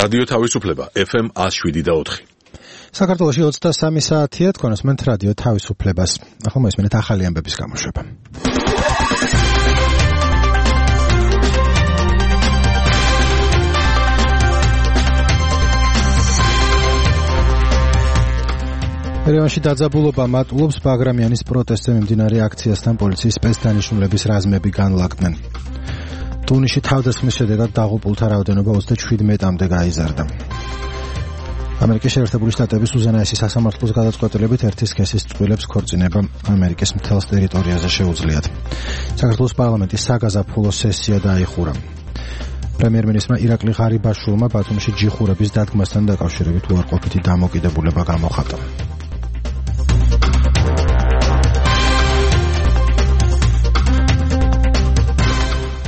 რადიო თავისუფლება FM 107.4. საქართველოში 23 საათია, თქვენ უსმენთ რადიო თავისუფლებას. ახლა მოისმენთ ახალი ამბების გამოშვება. ერევანში დაძაბულობა მატულობს ბაგრამიანის პროტესტზე მიმდინარე აქციასთან პოლიციის სპეცდანიშნულების რაზმები განლაგდნენ. ტუნისში თავდასხმის შედეგად დაღუპულთა რაოდენობა 37-მდე გაიზარდა. ამერიკის შეერთებული შტატების უზენაესი სასამართლოს გადაწყვეტილებით ერთი სქესის წყვილებს ქორწინება ამერიკის მთელს ტერიტორიაზე შეუძლიათ. საქართველოს პარლამენტის საგაზაფხულო სესია დაიხურა. პრემიერ-მინისტრმა ირაკლი ღარიბაშვილმა ბათუმში ჯიხურების დადგმასთან დაკავშირებით უარყოფითი დამოკიდებულება გამოხატა.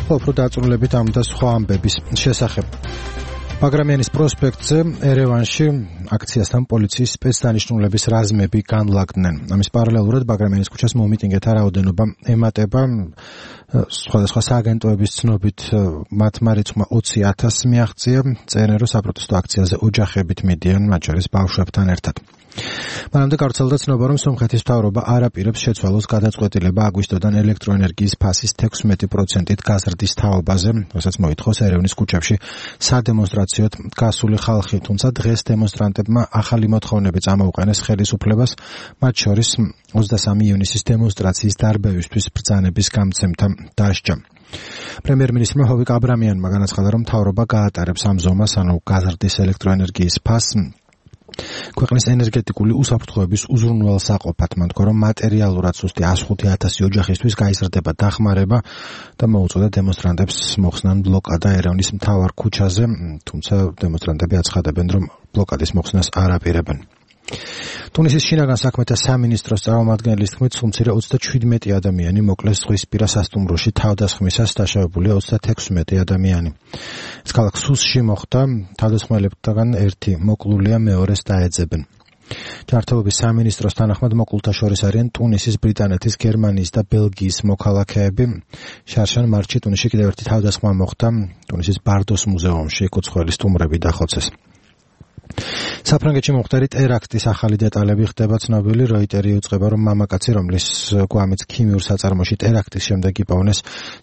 უფრო დაწვრილებით ამ და სხვა ამბების შესახებ. ბაგრამიანის პროსპექტზე ერევანში აქციასთან პოლიციის სპეცდანიშნულების რაზმები განლაგდნენ. ამის პარალელურად ბაგრამიანის ქუჩას მომიტინგეთა რაოდენობა ემატება. სხვადასხვა სააგენტოების ცნობით მათმა რიცხვმა 20,000 მიაღწია. წერენ, რომ საპროტესტო აქციაზე ოჯახებით მიდიან, მათ შორის ბავშვებთან ერთად. მანამდე გავრცელდა ცნობა, რომ სომხეთის მთავრობა არ აპირებს შეცვალოს გადაწყვეტილება აგვისტოდან ელექტროენერგიის ფასის 16%-ით გაზრდის თაობაზე, რასაც მოითხოვს ერევნის ქუჩებში სადემონსტრაციოდ გასული ხალხი, თუმცა დღეს დემონსტრანტებმა ახალი მოთხოვნები წამოუყენეს ხელისუფლებას, მათ შორის 23 ივნისის დემონსტრაციის დარბევისთვის ბრძანების გამცემთა დასჯა. პრემიერ-მინისტრმა ჰოვიკ აბრამიანმა განაცხადა, რომ მთავრობა გაატარებს ამ ზომას, ანუ გაზრდის ელექტროენერგიის ფასს ქვეყნის ენერგეტიკული უსაფრთხოების უზრუნველსაყოფად. მან თქვა, რომ მატერიალურად სუსტი 105,000 ოჯახისთვის გაიზრდება დახმარება და მოუწოდა დემონსტრანტებს მოხსნან ბლოკადა ერევნის მთავარ ქუჩაზე, თუმცა დემონსტრანტები აცხადებენ, რომ ბლოკადის მოხსნას არ აპირებენ. ტუნისის შინაგან საქმეთა სამინისტროს წარმომადგენლის თქმით, სულ მცირე 37 ადამიანი მოკლეს ზღვისპირა სასტუმროში თავდასხმისას, დაშავებულია 36 ადამიანი. ეს ქალაქ სუსში მოხდა, თავდასხმელებთან ერთი მოკლულია, მეორეს დაეძებენ. ჯანმრთელობის სამინისტროს თანახმად მოკლულთა შორის არიან ტუნისის, ბრიტანეთის, გერმანიის და ბელგიის მოქალაქეები. შარშან მარტში ტუნისში კიდევ ერთი თავდასხმა მოხდა, ტუნისის ბარდოს მუზეუმში კუცხველი სტუმრები დახოცეს. საფრანგეთში მომხდარი ტერაქტის ახალი დეტალები ხდება ცნობილი. როიტერი იუწყება, რომ მამაკაცი, რომლის გვამიც ქიმიურ საწარმოში ტერაქტის შემდეგ იპოვნეს,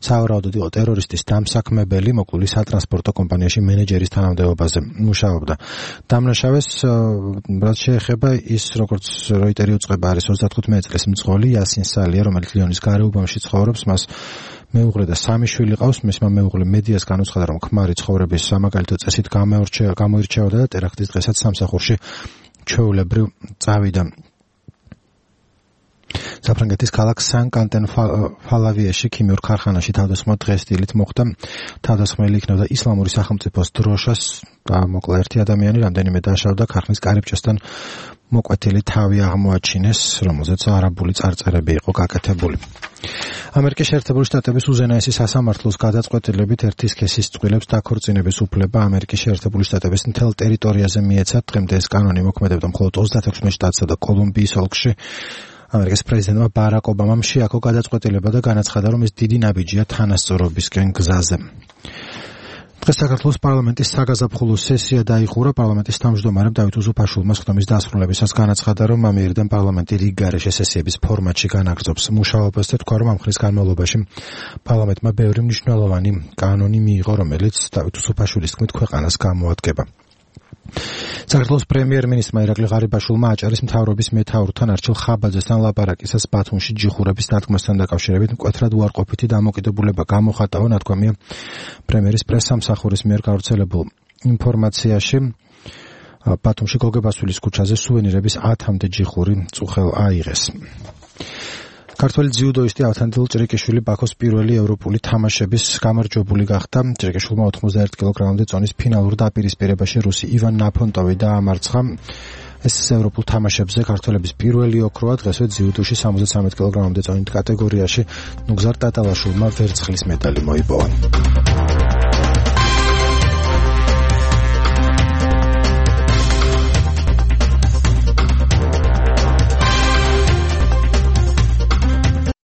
სავარაუდოდ იყო ტერორისტის დამსაქმებელი, მოკლული სატრანსპორტო კომპანიაში მენეჯერის თანამდებობაზე მუშაობდა. დამნაშავეს, რაც შეეხება ის, როგორც როიტერი იუწყება, არის 35 წლის მძღოლი იასინ სალია, რომელიც ლიონის გარეუბანში ცხოვრობს. მას მეუღლე და 3 შვილი ყავს. მისმა მეუღლე მედიას განუცხადა, რომ ქმარი ცხოვრების სამაგალითო წესით გამოირჩეოდა და ტერაქტის დღესაც სამსახურში ჩვეულებრივ წავიდა. საფრანგეთის ქალაქ სან-კანტენ-ფალავიაში ქიმიურ ქარხანაში თავდასხმა დღეს დილით მოხდა. თავდასხმელი იქნებოდა ისლამური სახელმწიფოს დროშას და მოკლა ერთი ადამიანი, რამდენიმე დაშავდა. ქარხნის კარიბჭესთან მოკვეთილი თავი აღმოაჩინეს, რომელზეც არაბული წარწერები იყო გაკეთებული. ამერიკის შეერთებული შტატების უზენაესი სასამართლოს გადაწყვეტილებით ერთი სქესის წყვილებს დაქორწინების უფლება ამერიკის შეერთებული შტატების მთელ ტერიტორიაზე მიეცათ. დღემდე ეს კანონი მოქმედებდა მხოლოდ 36 შტატსა და კოლუმბიის ოლქში. ამერიკის პრეზიდენტმა ბარაკ ობამამ შეაქო გადაწყვეტილება და განაცხადა, რომ ეს დიდი ნაბიჯია თანასწორობისკენ გზაზე. დღეს საქართველოს პარლამენტის საგაზაფხულო სესია დაიხურა. პარლამენტის თავმჯდომარემ დავით უსუფაშვილმა სხდომის დასრულებისას განაცხადა, რომ ამ მიერიდან პარლამენტი რიგ გარეშე სესიების ფორმატში განაგრძობს მუშაობას და თქვა, რომ ამ ხნის განმავლობაში პარლამენტმა ბევრი მნიშვნელოვანი კანონი მიიღო, რომელიც დავით უსუფაშვილის თქმით ქვეყანას გამოადგება. საქართველოს პრემიერ-მინისტრმა ირაკლი ღარიბაშვილმა აჭარის მთავრობის მეთაურთან არჩილ ხაბაძესთან ლაპარაკისას ბათუმში ჯიხურების დადგმასთან დაკავშირებით მკვეთრად უარყოფითი დამოკიდებულება გამოხატა. ნათქვამია პრემიერის პრესსამსახურის მიერ გავრცელებულ ინფორმაციაში, ბათუმში გოგებასვილის ქუჩაზე სუვენირების 10-მდე ჯიხური წუხელ აიღეს. ქართველი ძიუდოისტი ავთანდილ ჭრიკიშვილი ბაქოს პირველი ევროპული თამაშების გამარჯვებული გახდა. ჭრიკიშვილმა 91 კილოგრამამდე წონის ფინალურ დაპირისპირებაში რუსი ივან ნაფონტოვი დაამარცხა. ეს ევროპულ თამაშებზე ქართველების პირველი ოქროა. დღესვე ძიუდოში 73 კილოგრამამდე წონით კატეგორიაში ნუგზარ ტატალაშვილმა ვერცხლის მედალი მოიპოვა.